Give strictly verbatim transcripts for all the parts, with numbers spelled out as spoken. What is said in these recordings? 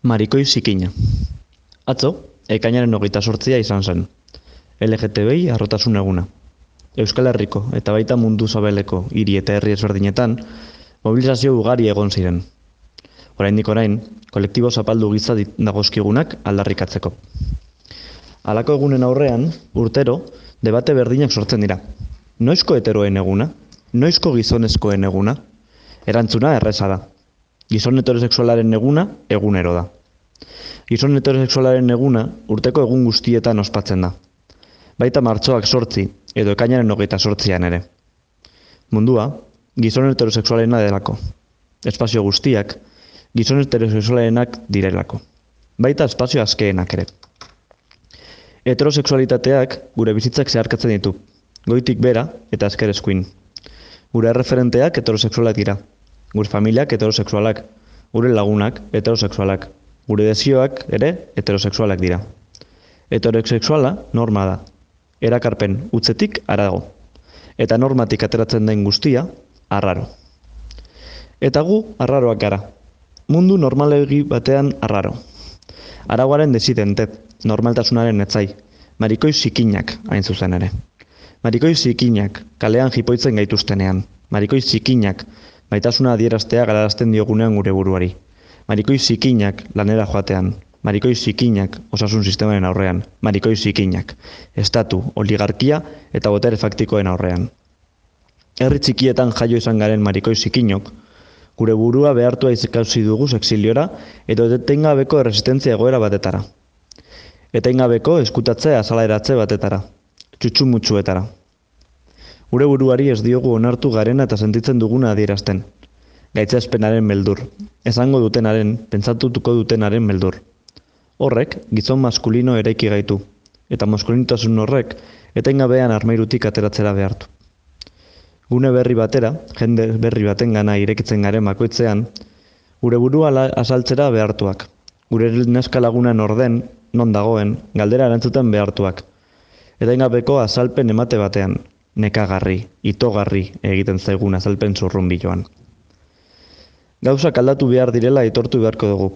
Marikoi zikina. Atzo, ekainaren hogeita zortzia izan zen. L G T B I harrotasun eguna. Euskal Herriko eta baita mundu zabeleko hiri eta herri ezberdinetan mobilizazio ugari egon ziren. Oraindik orain, kolektibo zapaldu giza dagozkigunak aldarrikatzeko. Halako egunen aurrean, urtero, debate berdinak sortzen dira. Noizko heteroen eguna? Noizko gizonezkoen eguna? Erantzuna erreza da. Gizon heterosexualaren eguna, egunero da. Gizon heterosexualaren eguna urteko egun guztietan ospatzen da. Baita martxoak sortzi, edo ekainaren hogeita sortzian ere. Mundua, gizon heterosexualena delako. Espazio guztiak, gizon heterosexualenak direlako. Baita espazio askeenak ere. Heterosexualitateak gure bizitzak zeharkatzen ditu, goitik bera eta azker eskuin. Gure erreferenteak heterosexualak dira. Gure familiak heterosexualak, gure lagunak heterosexualak, gure desioak ere heterosexualak dira. Heterosexuala norma da, erakarpen utzetik harago, eta normatik ateratzen den guztia arraro. Eta gu arraroak gara, mundu normalegi batean arraro. Aragoaren desidente, normaltasunaren etzai, marikoi zikinak hain zuzen ere. Marikoi zikinak kalean jipoitzen gaituztenean, marikoi zikinak maitasuna adieraztea galarazten diogunean gure buruari. Marikoi zikinak lanera joatean, marikoi zikinak osasun sistemaren aurrean, marikoi zikinak estatu, oligarkia eta botere faktikoen aurrean. Herri txikietan jaio izan garen marikoi zikinok, gure burua behartua izekauzi dugu exiliora edo etengabeko erresistentzia egoera batetara. Etengabeko eskutatze azalaeratze batetara, txutxumutxuetara. Gure buruari ez diogu onartu garena eta sentitzen duguna adierazten. Gaitzespenaren beldur, esango dutenaren, pentsatutuko dutenaren beldur. Horrek, gizon maskulino eraiki gaitu, eta maskulinitasun horrek, etengabean armairutik ateratzera behartu. Gune berri batera, jende berri baten gana irekitzen garen bakoitzean, gure burua azaltzera behartuak. Gure neska lagunan orden, non dagoen, galdera erantzuten behartuak. Etengabeko azalpen emate batean, nekagarri, itogarri egiten zaigun azalpen zurrunbiloan. Gauzak aldatu behar direla aitortu beharko dugu.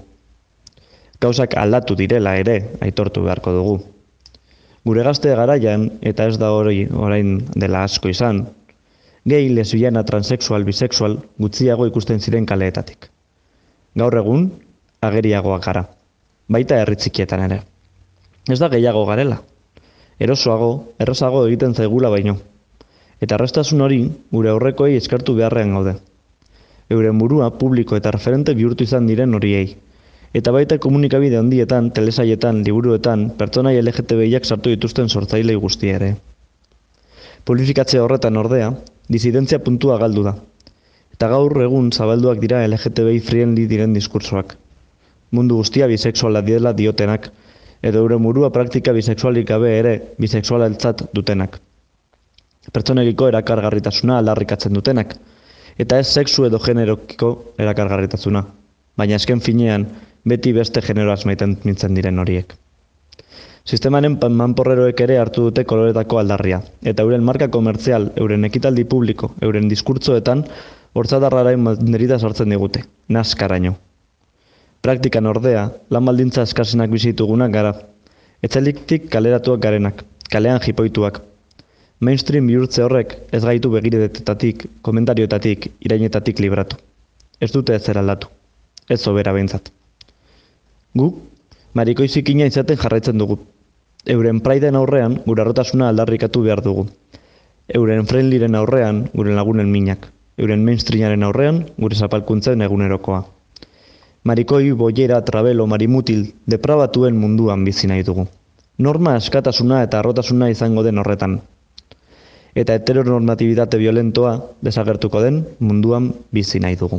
Gauzak aldatu direla ere aitortu beharko dugu. Gure gazte garaian, eta ez da hori orain dela asko izan, gay, lesbiana, transexual, bisexual gutxiago ikusten ziren kaleetatik. Gaur egun, ageriagoak gara, baita herri txikietan ere. Ez da gehiago garela. Erosoago, errazago egiten zaigula baino. Eta erraztasun hori gure aurrekoei eskertu beharrean gaude. Euren burua publiko eta referente bihurtu izan diren horiei. Eta baita komunikabide handietan, telesaietan, liburuetan, pertsonai L G T B I-ak sartu dituzten sortzailei guztia ere. Publifikatze horretan ordea, disidentzia puntua galdu da. Eta gaur egun zabalduak dira L G T B I friendly diren diskursoak. Mundu guztia bisexuala direla diotenak, edo euren burua praktika bisexualik gabe ere bisexualaltzat dutenak. Pertsonekiko erakargarritasuna aldarrikatzen dutenak, eta ez sexu edo generokiko erakargarritasuna, baina esken finean beti beste generoaz maiten mintzen diren horiek. Sistemaren manporreroek ere hartu dute koloretako aldarria, eta euren marka komertzial, euren ekitaldi publiko, euren diskurtzoetan, hortzadarraren banderita sartzen digute, naskaraino. Praktikan ordea, lan baldintza eskasenak bizitugunak gara, etxeliktik kaleratuak garenak, kalean jipoituak. Mainstream bihurtze horrek ez gaitu begiredetatik, komentarioetatik, irainetatik libratu. Ez dute ezer aldatu, ez sobera behintzat. Gu, marikoi zikina izaten jarraitzen dugu. Euren praiden aurrean gure arrotasuna aldarrikatu behar dugu. Euren friendlyren aurrean gure lagunen minak. Euren mainstreamaren aurrean gure zapalkuntzen egunerokoa. Marikoi, boiera, trabelo, marimutil, deprabatuen munduan bizi nahi dugu. Norma askatasuna eta arrotasuna izango den horretan. Eta heteronormatibitate violentoa desagertuko den munduan bizi nahi dugu.